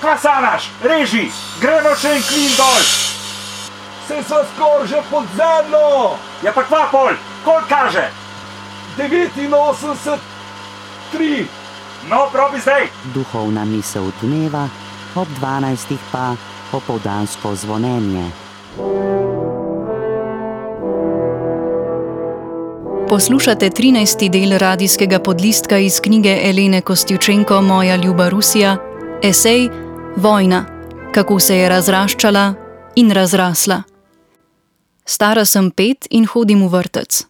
Kva sanaš? Reži, gremo še en klin dol. Se sva skor že pod zemljo. Ja pa kva pol, koliko kaže? 89,3. No, probi zdaj. Duhovna misel dneva, ob 12 pa opoldansko zvonjenje. Poslušate 13. del radijskega podlistka iz knjige Elene Kostjučenko Moja ljuba Rusija, esej Vojna, kako se je razraščala in razrasla. Stara sem 5 in hodim v vrtec.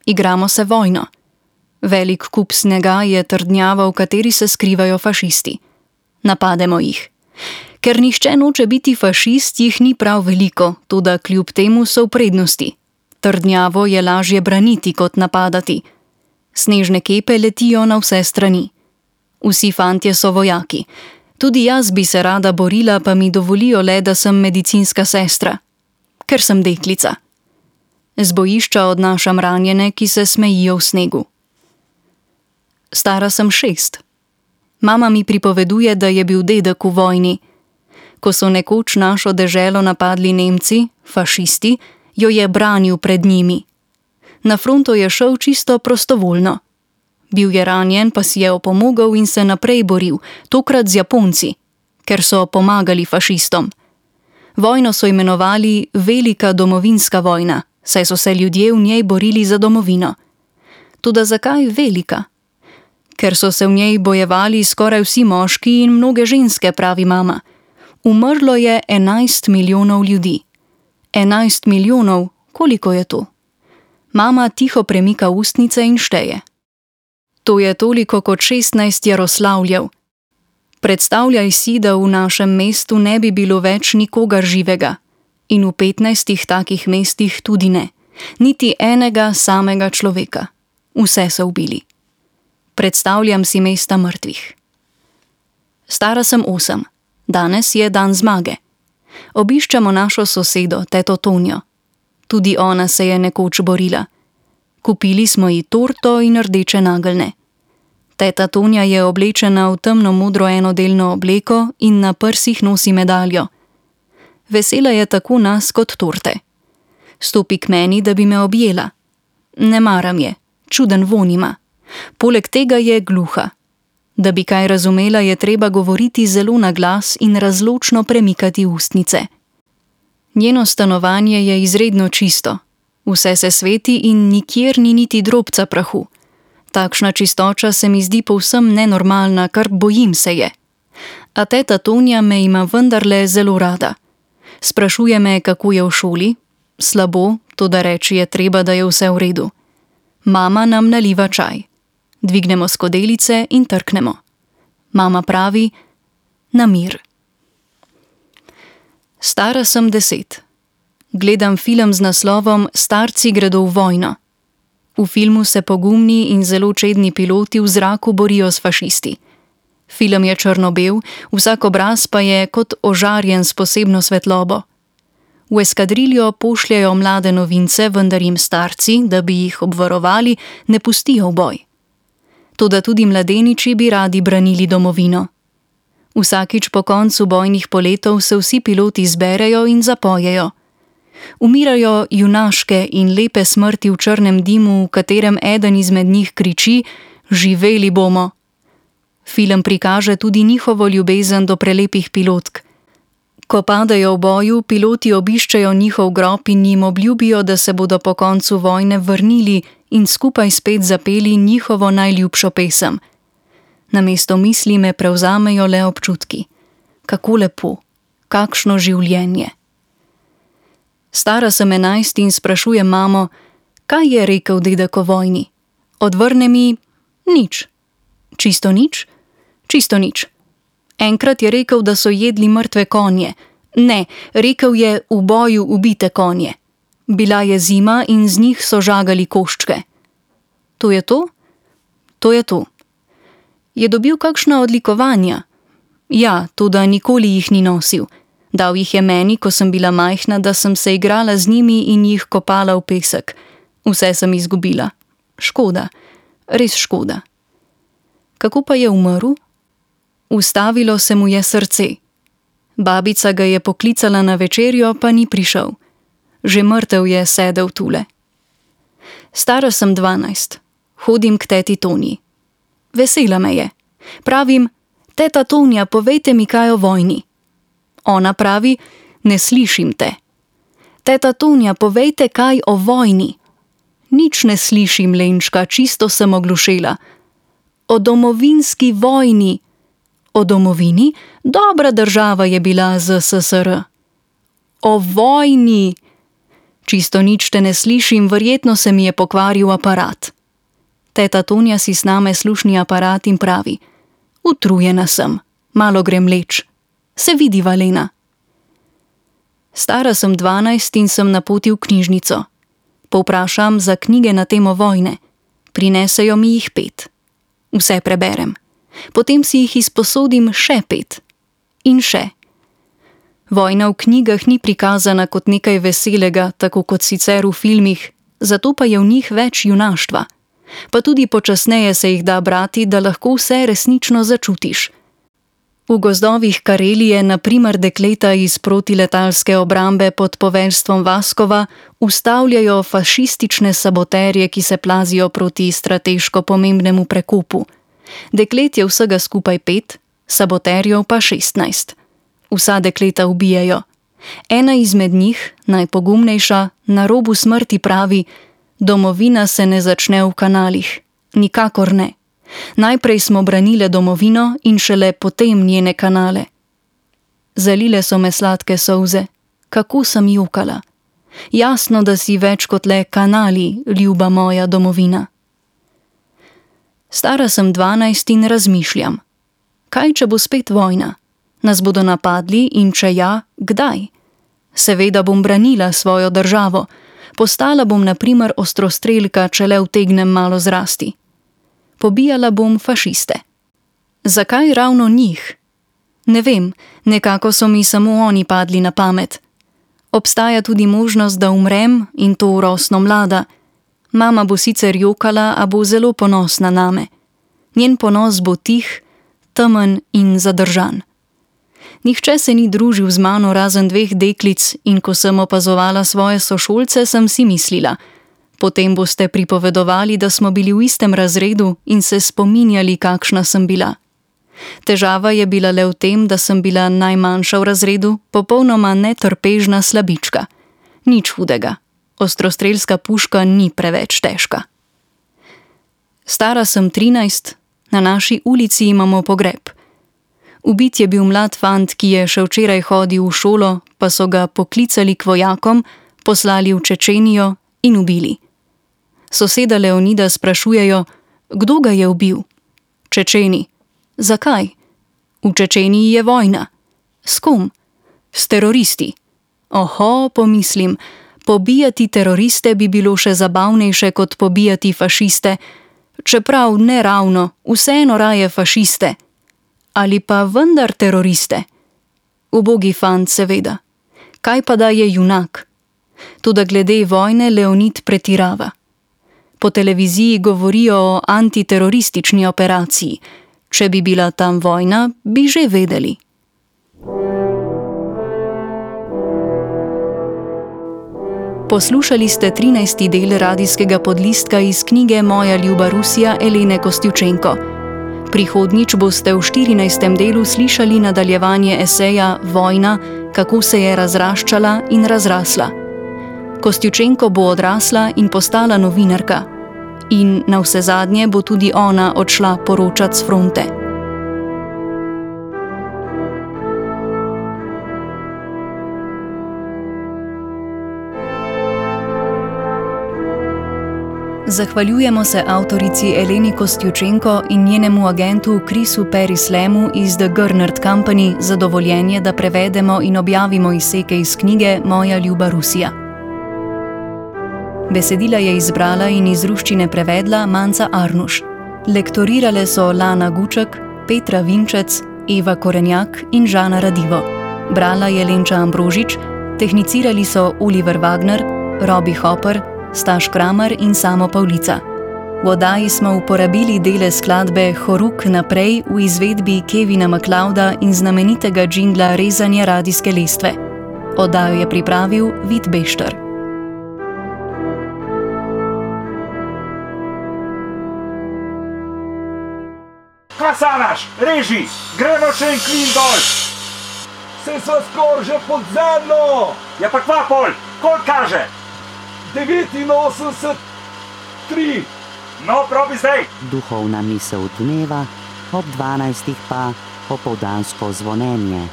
Igramo se vojno. Velik kup snega je trdnjava, v kateri se skrivajo fašisti. Napademo jih. Ker nihče noče biti fašist, jih ni prav veliko, toda kljub temu so v prednosti. Trdnjavo je lažje braniti kot napadati. Snežne kepe letijo na vse strani. Vsi fantje so vojaki. Tudi jaz bi se rada borila, pa mi dovolijo le, da sem medicinska sestra. Ker sem deklica. Z bojišča odnašam ranjene, ki se smejijo v snegu. Stara sem 6. Mama mi pripoveduje, da je bil dedek v vojni. Ko so nekoč našo deželo napadli Nemci, fašisti, jo je branil pred njimi. Na fronto je šel čisto prostovoljno. Bil je ranjen, pa si je opomogel in se naprej boril, tokrat z Japonci, ker so pomagali fašistom. Vojno so imenovali Velika domovinska vojna, saj so se ljudje v njej borili za domovino. Toda zakaj velika? Ker so se v njej bojevali skoraj vsi moški in mnoge ženske, pravi mama. Umrlo je 11 milijonov ljudi. 11 milijonov, koliko je to? Mama tiho premika ustnice in šteje. To je toliko kot 16 Jaroslavljev. Predstavljaj si, da v našem mestu ne bi bilo več nikogar živega. In v 15 takih mestih tudi ne. Niti enega samega človeka. Vse so ubili. Predstavljam si mesta mrtvih. Stara sem 8. Danes je dan zmage. Obiščemo našo sosedo, teto Tonjo. Tudi ona se je nekoč borila. Kupili smo ji torto in rdeče nageljne. Teta Tonja je oblečena v temno modro enodelno obleko in na prsih nosi medaljo. Vesela je tako nas kot torte. Stopi k meni, da bi me objela. Ne maram je, čuden vonj ima. Poleg tega je gluha. Da bi kaj razumela, je treba govoriti zelo na glas in razločno premikati ustnice. Njeno stanovanje je izredno čisto. Vse se sveti in nikjer ni niti drobca prahu. Takšna čistoča se mi zdi povsem nenormalna, kar bojim se je. A teta Tonja me ima vendarle zelo rada. Sprašuje me, kako je v šoli. Slabo, toda reči je treba, da je vse v redu. Mama nam naliva čaj. Dvignemo skodelice in trknemo. Mama pravi, na mir. Stara sem 10. Gledam film z naslovom Starci gredo v vojno. V filmu se pogumni in zelo čedni piloti v zraku borijo s fašisti. Film je črno-bel, vsak obraz pa je kot ožarjen s posebno svetlobo. V eskadriljo pošljajo mlade novince, vendar jim starci, da bi jih obvarovali, ne pustijo v boj. Toda tudi mladeniči bi radi branili domovino. Vsakič po koncu bojnih poletov se vsi piloti zberejo in zapojejo. Umirajo junaške in lepe smrti v črnem dimu, v katerem eden izmed njih kriči: živeli bomo. Film prikaže tudi njihovo ljubezen do prelepih pilotk. Ko padajo v boju, piloti obiščejo njihov grob in jim obljubijo, da se bodo po koncu vojne vrnili in skupaj spet zapeli njihovo najljubšo pesem. Namesto misli me prevzamejo le občutki. Kako lepo, kakšno življenje. Stara sem 11 in sprašujem mamo, kaj je rekel dedek o vojni. Odvrne mi, nič. Čisto nič? Čisto nič. Enkrat je rekel, da so jedli mrtve konje. Ne, rekel je v boju ubite konje. Bila je zima in z njih so žagali koščke. To je to? To je to. Je dobil kakšna odlikovanja? Ja, toda nikoli jih ni nosil. Dal jih je meni, ko sem bila majhna, da sem se igrala z njimi in jih kopala v pesek. Vse sem izgubila. Škoda. Res škoda. Kako pa je umrl? Ustavilo se mu je srce. Babica ga je poklicala na večerjo, pa ni prišel. Že mrtev je sedel tule. Stara sem 12. Hodim k teti Tonji. Vesela me je. Pravim: teta Tonja, povejte mi kaj o vojni. Ona pravi: ne slišim te. Teta Tonja, povejte kaj o vojni. Nič ne slišim, Lenčka, čisto sem oglušela. O domovinski vojni. O domovini? Dobra država je bila ZSSR. O vojni. Čisto nič te ne slišim, verjetno se mi je pokvaril aparat. Teta Tonja si sname slušni aparat in pravi: utrujena sem, malo grem leč. Se vidiva, Lena. Stara sem 12 in sem na poti v knjižnico. Povprašam za knjige na temo vojne. Prinesejo mi jih 5. Vse preberem. Potem si jih izposodim še 5. In še. Vojna v knjigah ni prikazana kot nekaj veselega, tako kot sicer v filmih, zato pa je v njih več junaštva. Pa tudi počasneje se jih da brati, da lahko vse resnično začutiš. V gozdovih Karelije na primer dekleta iz protiletalske obrambe pod poveljstvom Vaskova ustavljajo fašistične saboterje, ki se plazijo proti strateško pomembnemu prekopu. Deklet je vsega skupaj 5, saboterjev pa 16. Vsa dekleta ubijajo. Ena izmed njih, najpogumnejša, na robu smrti pravi: domovina se ne začne v kanalih. Nikakor ne. Najprej smo branile domovino in šele potem njene kanale. Zalile so me sladke solze. Kako sem jokala. Jasno, da si več kot le kanali, ljuba moja domovina. Stara sem 12 in razmišljam. Kaj, če bo spet vojna? Nas bodo napadli in če ja, kdaj? Seveda bom branila svojo državo. Postala bom na primer ostrostrelka, če le utegnem malo zrasti. Pobijala bom fašiste. Zakaj ravno njih? Ne vem, nekako so mi samo oni padli na pamet. Obstaja tudi možnost, da umrem in to rosno mlada. Mama bo sicer jokala, a bo zelo ponosna name. Njen ponos bo tih, temen in zadržan. Nihče se ni družil z mano razen 2 deklic in ko sem opazovala svoje sošolce, sem si mislila: potem boste pripovedovali, da smo bili v istem razredu in se spominjali, kakšna sem bila. Težava je bila le v tem, da sem bila najmanjša v razredu, popolnoma netrpežna slabička. Nič hudega. Ostrostrelska puška ni preveč težka. Stara sem 13, na naši ulici imamo pogreb. Ubit je bil mlad fant, ki je še včeraj hodil v šolo, pa so ga poklicali k vojakom, poslali v Čečenijo in ubili. Soseda Leonida sprašujejo: kdo ga je ubil? Čečeni. Zakaj? V Čečeniji je vojna. S kom? S teroristi. Oho, pomislim, pobijati teroriste bi bilo še zabavnejše kot pobijati fašiste, čeprav ne ravno, vseeno raje fašiste. Ali pa vendar teroriste? Ubogi fant, seveda. Kaj pa da je junak? Toda glede vojne Leonid pretirava. Po televiziji govorijo o antiteroristični operaciji. Če bi bila tam vojna, bi že vedeli. Poslušali ste 13. del radijskega podlistka iz knjige Moja ljuba Rusija Elene Kostjučenko. Prihodnjič boste v 14. delu slišali nadaljevanje eseja Vojna, kako se je razraščala in razrasla. Kostjučenko bo odrasla in postala novinarka. In navsezadnje bo tudi ona odšla poročat s fronte. Zahvaljujemo se avtorici Eleni Kostjučenko in njenemu agentu Chrisu Perislemu iz The Gernert Company za dovoljenje, da prevedemo in objavimo izseke iz knjige Moja ljuba Rusija. Besedila je izbrala in iz ruščine prevedla Manca Arnuš. Lektorirale so Lana Guček, Petra Vinčec, Eva Korenjak in Žana Radivo. Brala je Lenča Ambrožič, tehnicirali so Oliver Wagner, Robi Hopper, Staš Kramer in Samo Pavlica. V oddaji smo uporabili dele skladbe Horuk naprej v izvedbi Kevina MacLeoda in znamenitega džingla Rezanje radijske lestve. Oddajo je pripravil Vid Bešter. Klasanaš, reži, gremo še en klin dol. Se so skoraj že pod zemljo. Ja pa kva pol, koliko kaže? 89,3. No, probi zdaj. Duhovna misel dneva, ob 12. pa opoldansko zvonjenje.